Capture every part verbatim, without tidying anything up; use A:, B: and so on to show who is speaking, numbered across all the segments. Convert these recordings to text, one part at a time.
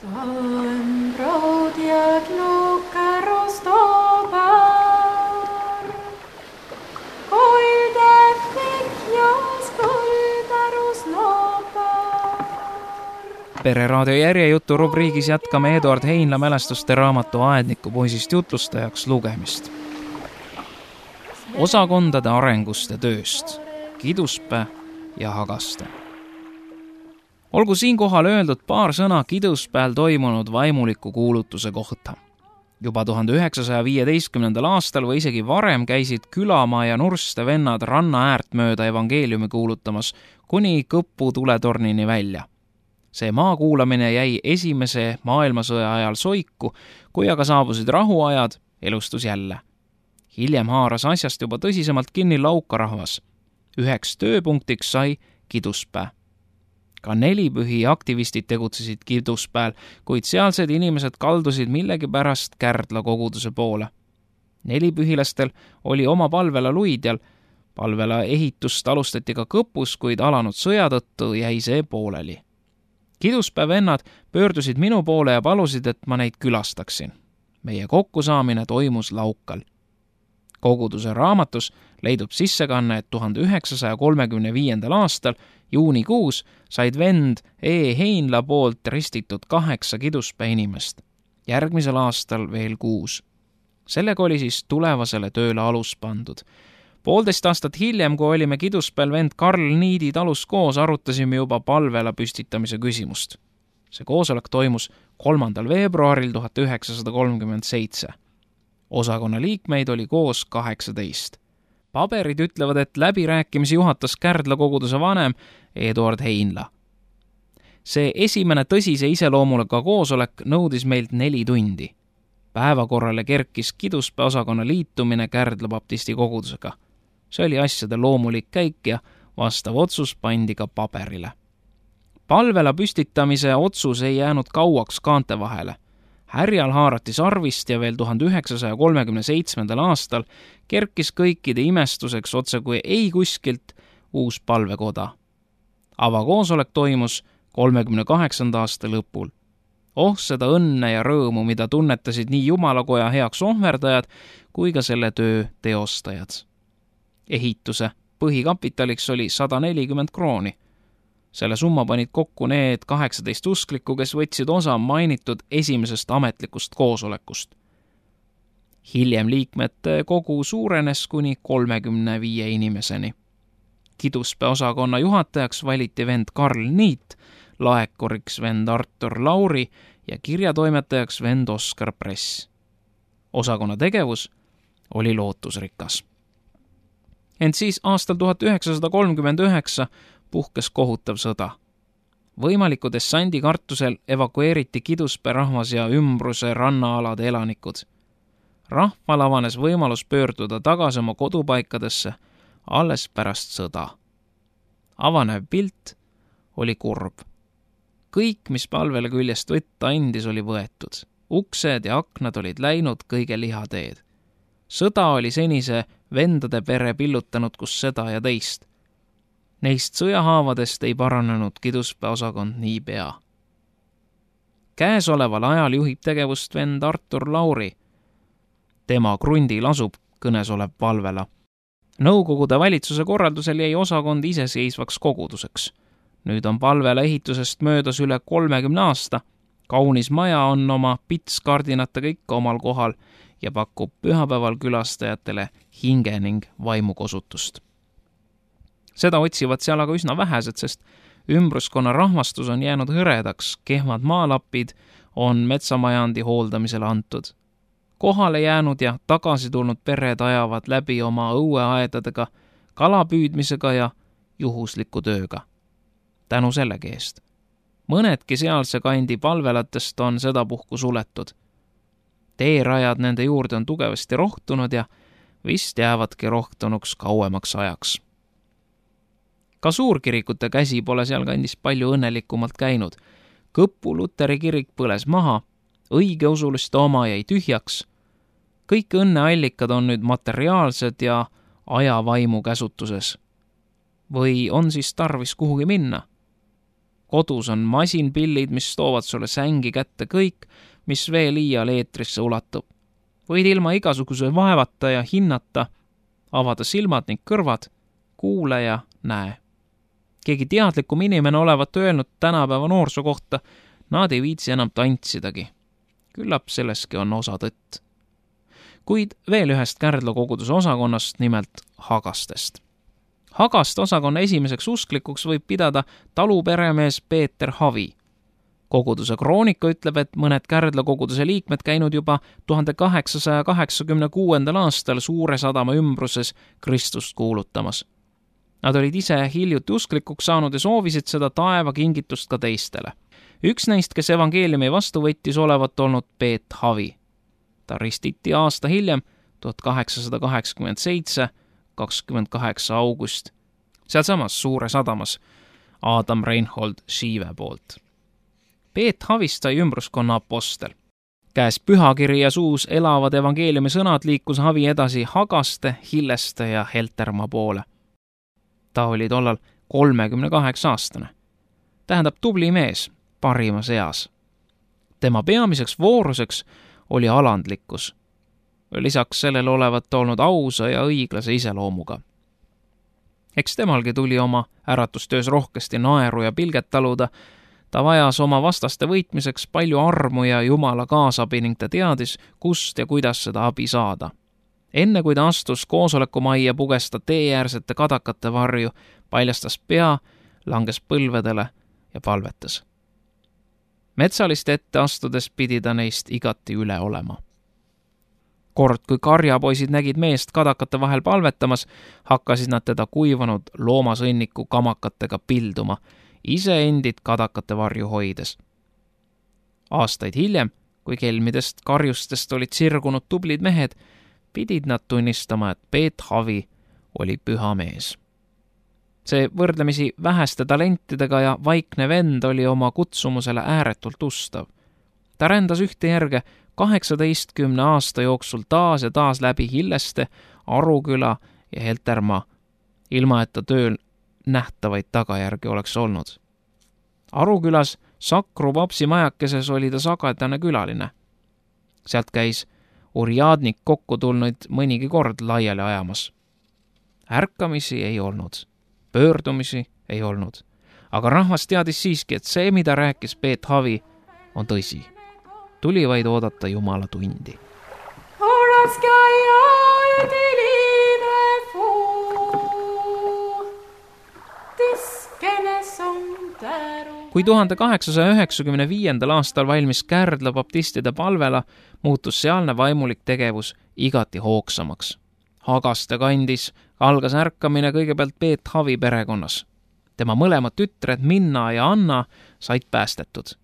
A: Tam proudjad lukkaro stobar, koilde fikjas põldarus nopar.
B: Pereraadio järjejutu rubriigis jätkame Eduard Heinla mälestuste raamatu Aedniku poisist jutlustajaks lugemist. Osakondade arengust ja tööst, Kiduspää ja Hagaste. Olgu siinkohal öeldud paar sõna Kiduspäel toimunud vaimuliku kuulutuse kohta. Juba tuhande üheksasaja viieteistkümnendal aastal või isegi varem käisid Külamaa ja Nurste vennad ranna äärt mööda evangeeliumi kuulutamas kuni Kõpu tuletornini välja. See maa kuulamine jäi esimese maailmasõja ajal soiku, kui aga saabusid rahuajad, elustus jälle. Hiljem haaras asjast juba tõsisemalt kinni laukarahvas. Üheks tööpunktiks sai Kiduspää. Ka nelipühi aktivistid tegutsesid Kiduspäel, kuid sealsed inimesed kaldusid millegipärast Kärdla koguduse poole. Nelipühilastel oli oma palvela Luidjal, palvela ehitust alustati ka Kõpus, kuid alanud sõja tõttu jäi see pooleli. Kiduspää vennad pöördusid minu poole ja palusid, et ma neid külastaksin. Meie kokkusaamine toimus Laukal. Koguduse raamatus leidub sissekanne, et tuhande üheksasaja kolmekümne viiendal aastal juunikuus said vend E. Heinla poolt ristitud kaheksa Kiduspää inimest. Järgmisel aastal veel kuus. Sellega oli siis tulevasele tööle alus pandud. Poolteist aastat hiljem, kui olime Kiduspäel vend Karl Niidi talus koos, arutasime juba palvela püstitamise küsimust. See koosolek toimus kolmandal veebruaril tuhat üheksasada kolmkümmend seitse. Osakonna liikmeid oli koos kaheksateist. Paberid ütlevad, et läbirääkimisi juhatas Kärdla koguduse vanem Eduard Heinla. See esimene tõsise iseloomulega koosolek nõudis meilt neli tundi. Päevakorrale kerkis Kiduspää osakonna liitumine Kärdla baptisti kogudusega. See oli asjade loomulik käik ja vastav otsus pandi ka paberile. Palvela püstitamise otsus ei jäänud kauaks kaante vahele. Härjal haarati sarvist ja veel tuhande üheksasaja kolmekümne seitsmendal aastal kerkis kõikide imestuseks otse kui ei kuskilt uus palvekoda. Avakoosolek toimus kolmekümne kaheksanda aasta lõpul. Oh, seda õnne ja rõõmu, mida tunnetasid nii Jumalakoja heaks ohverdajad kui ka selle töö teostajad. Ehituse põhikapitaliks oli sada nelikümmend krooni. Selle summa panid kokku need kaheksateist usklikku, kes võtsid osa mainitud esimesest ametlikust koosolekust. Hiljem liikmete kogu suurenes kuni kolmekümne viie inimeseni. Kiduspää osakonna juhatajaks valiti vend Karl Niit, laekoriks vend Artur Lauri ja kirjatoimetajaks vend Oskar Press. Osakonna tegevus oli lootusrikas. Ent siis aastal tuhat üheksasada kolmkümmend üheksa puhkes kohutav sõda. Võimaliku dessandi kartusel evakueeriti Kiduspää rahvas ja ümbruse rannaalade elanikud. Rahval avanes võimalus pöörduda tagasi oma kodupaikadesse alles pärast sõda. Avanev pilt oli kurb. Kõik, mis palvele küljest võtta andis, oli võetud. Uksed ja aknad olid läinud kõige lihateed. Sõda oli senise vendade pere pillutanud kus seda ja teist. Neist sõjahaavadest ei paranenud Kiduspää osakond nii pea. Käesoleval ajal juhib tegevust vend Artur Lauri. Tema krundil asub kõnes olev palvela. Nõukogude valitsuse korraldusel jäi osakond iseseisvaks koguduseks. Nüüd on palvela ehitusest möödas üle kolmekümne aasta. Kaunis maja on oma pitskardinatega ikka omal kohal ja pakub pühapäeval külastajatele hinge ning vaimukosutust. Seda otsivad seal aga üsna vähesed, sest ümbruskonna rahvastus on jäänud hõredaks, kehvad maalapid on metsamajandi hooldamisele antud. Kohale jäänud ja tagasi tulnud pered ajavad läbi oma õueaedadega, kalapüüdmisega ja juhusliku tööga. Tänu sellegi eest. Mõnedki sealse kandi palvelatest on sedapuhku suletud. Teerajad nende juurde on tugevasti rohtunud ja vist jäävadki rohtunuks kauemaks ajaks. Ka suurkirikute käsi pole seal kandis palju õnnelikumalt käinud. Kõpu Luteri kirik põles maha, õigeusuliste oma jäi tühjaks. Kõik õnneallikad on nüüd materiaalsed ja ajavaimu käsutuses. Või on siis tarvis kuhugi minna? kodus on masinpillid, mis toovad sulle sängi kätte kõik, mis veel iial eetrisse ulatub. Võid ilma igasuguse vaevata ja hinnata, avada silmad ning kõrvad, kuule ja näe. Keegi teadlikum inimene olevat öelnud tänapäeva noorsoo kohta, nad ei viitsi enam tantsidagi. Küllap selleski on osa tõtt. Kuid veel ühest Kärdla koguduse osakonnast, nimelt Hagastest. Hagaste osakonna esimeseks usklikuks võib pidada taluperemees Peeter Havi. Koguduse kroonika ütleb, et mõned Kärdla koguduse liikmed käinud juba tuhande kaheksasaja kaheksakümne kuuendal aastal Suure Sadama ümbruses Kristust kuulutamas. Nad olid ise hiljuti usklikuks saanud ja soovisid seda taeva kingitust ka teistele. Üks neist, kes evangeeliumi vastu võttis, olevat olnud Peet Havi. Ta ristiti aasta hiljem, tuhat kaheksasada kaheksakümmend seitse, kakskümmend kaheksa august, sealsamas Suure Sadamas Adam Reinhold Schive poolt. Peet Havist sai ümbruskonna apostel. Käes pühakiri ja suus elavad evangeeliumi sõnad liikus Havi edasi Hagaste, Hilleste ja Heltermaa poole. Ta oli tollal kolmekümne kaheksa aastane. Tähendab tubli mees, parimas eas. Tema peamiseks vooruseks oli alandlikkus. Lisaks sellele olevat olnud ausa ja õiglase iseloomuga. Eks temalgi tuli oma äratustöös rohkesti naeru ja pilget taluda. Ta vajas oma vastaste võitmiseks palju armu ja Jumala kaasabi ning ta teadis, kust ja kuidas seda abi saada. Enne kui ta astus koosolekumajja, puges ta teeäärsete kadakate varju, paljastas pea, langes põlvedele ja palvetas. Metsaliste ette astudes pidi ta neist igati üle olema. Kord, kui karjapoisid nägid meest kadakate vahel palvetamas, hakkasid nad teda kuivanud loomasõnniku kamakatega pilduma, ise endid kadakate varju hoides. Aastaid hiljem, kui kelmidest karjustest olid sirgunud tublid mehed, pidid nad tunnistama, et Peet Havi oli püha mees. See võrdlemisi väheste talentidega ja vaikne vend oli oma kutsumusele ääretult ustav. Ta rändas ühte järge kaheksateistkümne aasta jooksul taas ja taas läbi Hilleste, Aruküla ja Heltermaa, ilma et ta tööl nähtavaid tagajärgi oleks olnud. Arukülas Sakru papsi majakeses oli ta sagedane külaline. Sealt käis urjadnik kokku tulnud mõnigi kord laiali ajamas. Ärkamisi ei olnud, pöördumisi ei olnud, aga rahvas teadis siiski, et see, mida rääkis Peet Havi, on tõsi. Tuli vaid oodata Jumala tundi. Kui tuhande kaheksasaja üheksakümne viiendal aastal valmis Kärdla baptistide palvela, muutus sealne vaimulik tegevus igati hoogsamaks. Hagaste kandis algas ärkamine kõigepealt Peet Havi perekonnas. Tema mõlemad tütred Minna ja Anna said päästetud.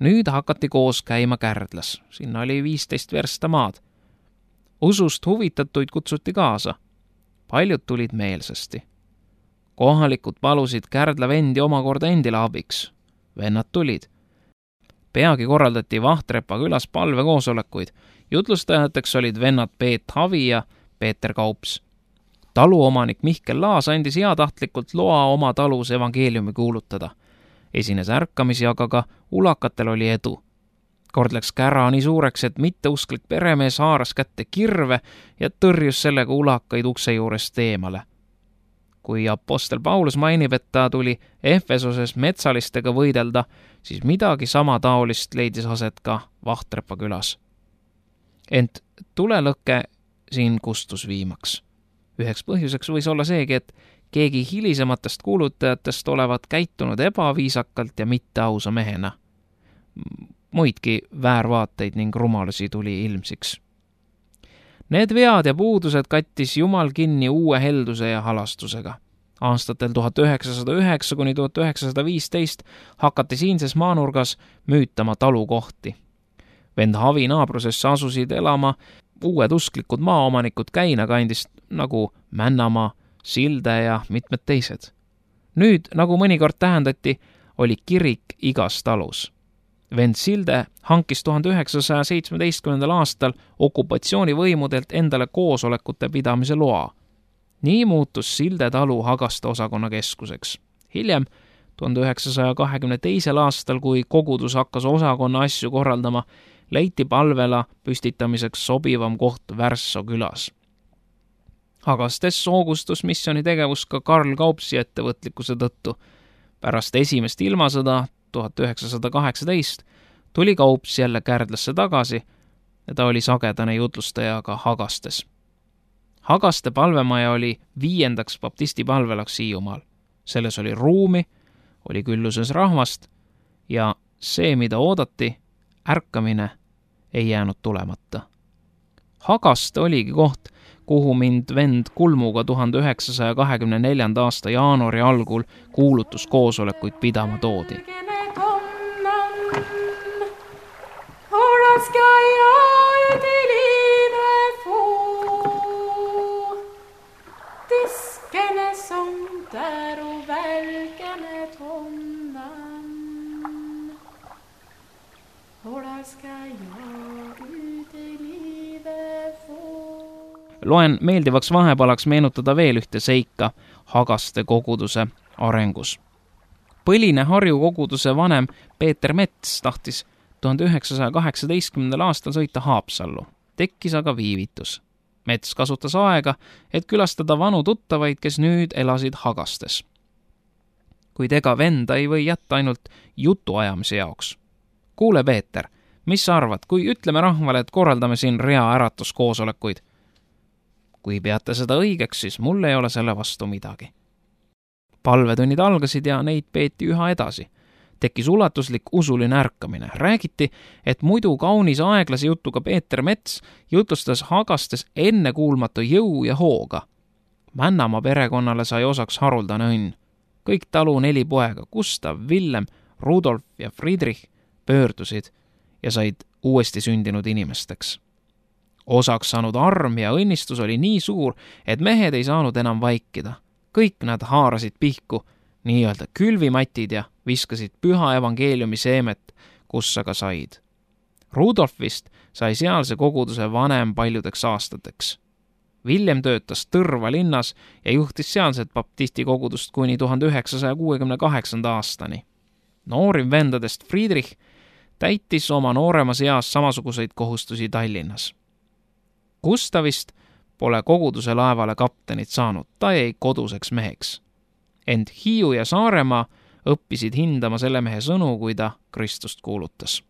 B: Nüüd hakati koos käima Kärdlas, sinna oli viisteist versta maad. Usust huvitatuid kutsuti kaasa. Paljud tulid meelsasti. Kohalikud palusid Kärdla vendi omakorda endile abiks. Vennad tulid. Peagi korraldati Vahtrepa külas palvekoosolekuid. Jutlustajateks olid vennad Peet Havi ja Peeter Kaups. Taluomanik Mihkel Laas andis heatahtlikult loa oma talus evangeeliumi kuulutada. Esines ärkamisi, aga ka ulakatel oli edu. Kord läks kära nii suureks, et mitteusklik peremees haaras kätte kirve ja tõrjus sellega ulakaid ukse juurest eemale. Kui apostel Paulus mainib, et ta tuli Efesoses metsalistega võidelda, siis midagi sama taolist leidis aset ka Vahtrepa külas. Ent tulelõkke siin kustus viimaks. Üheks põhjuseks võis olla seegi, et keegi hilisematest kuulutajatest olevat käitunud ebaviisakalt ja mitte ausa mehena. Muidki väärvaateid ning rumalusi tuli ilmsiks. Need vead ja puudused kattis Jumal kinni uue helduse ja halastusega. Aastatel tuhat üheksasada üheksa kuni tuhat üheksasada viisteist hakati siinses maanurgas müütama talukohti. Vend Havi naabrusesse asusid elama uued usklikud maaomanikud Käinakandist nagu Männamaa, Silde ja mitmed teised. Nüüd, nagu mõnikord tähendati, oli kirik igas talus. Vend Silde hankis tuhande üheksasaja seitsmeteistkümnendal aastal okupatsioonivõimudelt endale koosolekute pidamise loa. Nii muutus Silde talu Hagaste osakonna keskuseks. Hiljem, tuhande üheksasaja kahekümne teisel aastal, kui kogudus hakkas osakonna asju korraldama, leiti palvela püstitamiseks sobivam koht Värsso külas. Hagastes soogustus missiooni tegevus ka Karl Kaupsi ettevõtlikkuse tõttu. Pärast esimest ilmasõda tuhat üheksasada kaheksateist tuli Kaups jälle Kärdlasse tagasi ja ta oli sagedane jutlustaja ka Hagastes. Hagaste palvemaja oli viiendaks baptisti palvelaks Hiiumaal. Selles oli ruumi, oli külluses rahvast ja see, mida oodati, ärkamine ei jäänud tulemata. Hagaste oligi koht, kuhu mind vend Kulmuga tuhande üheksasaja kahekümne neljanda aasta jaanuari algul kuulutuskoosolekuid pidama toodi. Loen meeldivaks vahepalaks meenutada veel ühte seika Hagaste koguduse arengus. Põline Harju koguduse vanem Peeter Mets tahtis tuhande üheksasaja kaheksateistkümnendal aastal sõita Haapsallu. Tekkis aga viivitus. Mets kasutas aega, et külastada vanu tuttavaid, kes nüüd elasid Hagastes. Kuid ega venda ei või jätta ainult jutuajamise jaoks. Kuule, Peeter, mis sa arvad, kui ütleme rahvale, et korraldame siin rea äratuskoosolekuid? Kui peate seda õigeks, siis mul ei ole selle vastu midagi. Palvetunnid algasid ja neid peeti üha edasi. Tekkis ulatuslik usuline ärkamine. Räägiti, et muidu kaunis aeglase jutuga Peeter Mets jutlustas Hagastes ennekuulmatu jõu ja hooga. Männamaa perekonnale sai osaks haruldane õnn. Kõik talu neli poega, Gustav, Villem, Rudolf ja Friedrich pöördusid ja said uuesti sündinud inimesteks. Osaks saanud arm ja õnnistus oli nii suur, et mehed ei saanud enam vaikida. Kõik nad haarasid pihku, nii-öelda külvimatid ja viskasid püha evangeeliumi seemet, kus aga said. Rudolfist sai sealse koguduse vanem paljudeks aastateks. Villem töötas Tõrva linnas ja juhtis sealset baptisti kogudust kuni tuhande üheksasaja kuuekümne kaheksanda aastani. Noorim vendadest Friedrich täitis oma nooremas eas samasuguseid kohustusi Tallinnas. Gustavist pole koguduse laevale kaptenit saanud, ta jäi koduseks meheks. Ent Hiiu ja Saaremaa õppisid hindama selle mehe sõnu, kui ta Kristust kuulutas.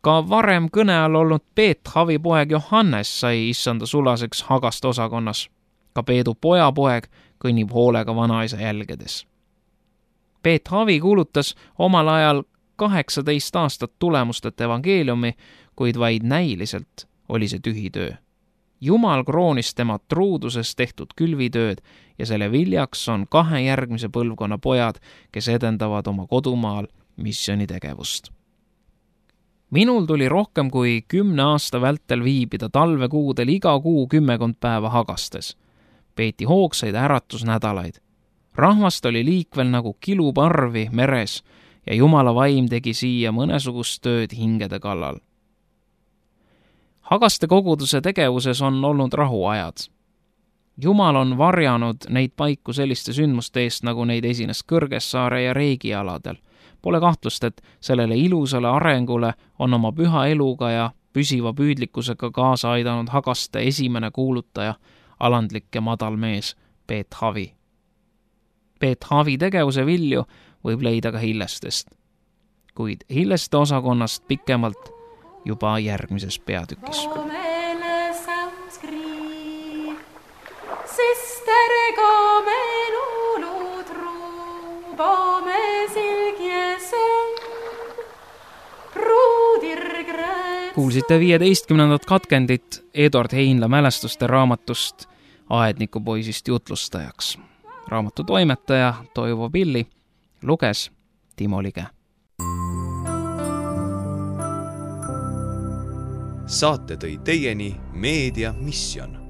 B: Ka varem kõne all olnud Peet Havi poeg Johannes sai issanda sulaseks Hagaste osakonnas. Ka Peedu pojapoeg kõnnib hoolega vanaisa jälgedes. Peet Havi kuulutas omal ajal kaheksateist aastat tulemustet evangeeliumi, kuid vaid näiliselt oli see tühi töö. Jumal kroonis tema truuduses tehtud külvitööd ja selle viljaks on kahe järgmise põlvkonna pojad, kes edendavad oma kodumaal missioonitegevust. Minul tuli rohkem kui kümne aasta vältel viibida talvekuudel iga kuu kümmekond päeva Hagastes. Peeti hoogsaid äratusnädalaid. Rahvast oli liikvel nagu kiluparvi meres ja Jumala vaim tegi siia mõnesugust tööd hingede kallal. Hagaste koguduse tegevuses on olnud rahuajad. Jumal on varjanud neid paiku selliste sündmuste eest, nagu neid esines Kõrgessaare ja Reigi aladel. Pole kahtlust, et sellele ilusale arengule on oma püha eluga ja püsiva püüdlikkusega kaasa aidanud Hagaste esimene kuulutaja, alandlik ja madal mees Peet Havi. Peet Havi tegevuse vilju võib leida ka Hillestest, kuid Hilleste osakonnast pikemalt juba järgmises peatükis. Kuulsite viieteistkümnendat katkendit Eduard Heinla mälestuste raamatust Aednikupoisist jutlustajaks. Raamatu toimetaja Toivo Pilli luges Timo Lige.
C: Saate tõi teieni Meedia Mission.